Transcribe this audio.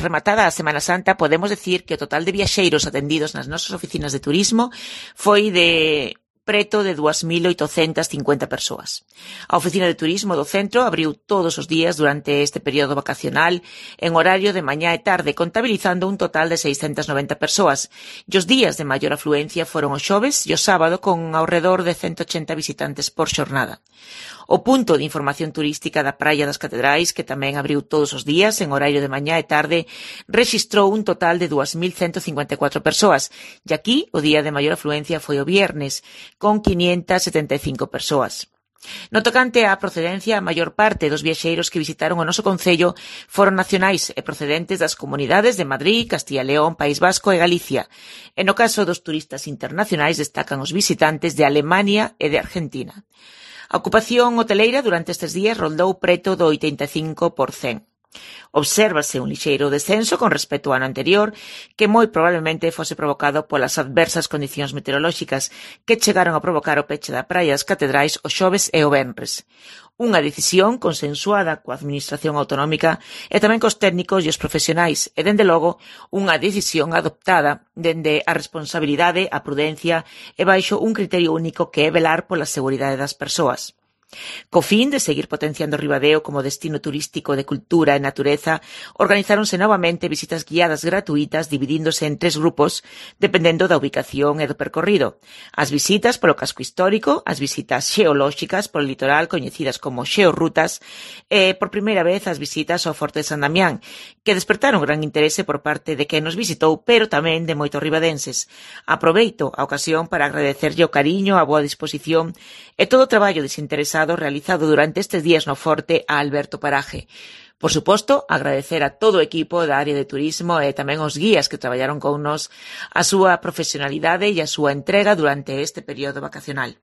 rematada a Semana Santa, podemos decir que o total de viaxeiros atendidos nas nosas oficinas de turismo foi de preto de 2.850 persoas. A oficina de turismo do centro abriu todos os días durante este período vacacional en horario de mañá e tarde, contabilizando un total de 690 persoas. E os días de maior afluencia foron o xoves e o sábado, con ao redor de 180 visitantes por xornada. O punto de información turística da Praia das Catedrais, que tamén abriu todos os días en horario de mañá e tarde, rexistrou un total de 2.154 persoas, e aquí o día de maior afluencia foi o viernes, con 575 persoas. No tocante á procedencia, a maior parte dos viaxeiros que visitaron o noso concello foron nacionais e procedentes das comunidades de Madrid, Castilla e León, País Vasco e Galicia. E no caso dos turistas internacionais destacan os visitantes de Alemania e de Argentina. A ocupación hoteleira durante estes días rondou preto do 85%. Obsérvase un lixeiro descenso con respecto ao ano anterior, que moi probablemente fose provocado polas adversas condicións meteorolóxicas que chegaron a provocar o peche da Praia das Catedrais o xoves e o venres. Unha decisión consensuada coa Administración Autonómica e tamén cos técnicos e os profesionais, e, dende logo, unha decisión adoptada dende a responsabilidade, a prudencia e baixo un criterio único que é velar pola seguridade das persoas. Co fin de seguir potenciando Ribadeo como destino turístico de cultura e natureza, organizáronse novamente visitas guiadas gratuitas dividíndose en 3 grupos, dependendo da ubicación e do percorrido. As visitas polo casco histórico, as visitas xeolóxicas polo litoral coñecidas como xeorrutas e, por primeira vez, as visitas ao Forte de San Damián, que despertaron gran interese por parte de quen nos visitou, pero tamén de moitos ribadenses. Aproveito a ocasión para agradecerlle o cariño, a boa disposición e todo o traballo desinteresado realizado durante estes días no Forte a Alberto Paraje. Por suposto, agradecer a todo o equipo da área de turismo e tamén os guías que traballaron con nos a súa profesionalidade e a súa entrega durante este período vacacional.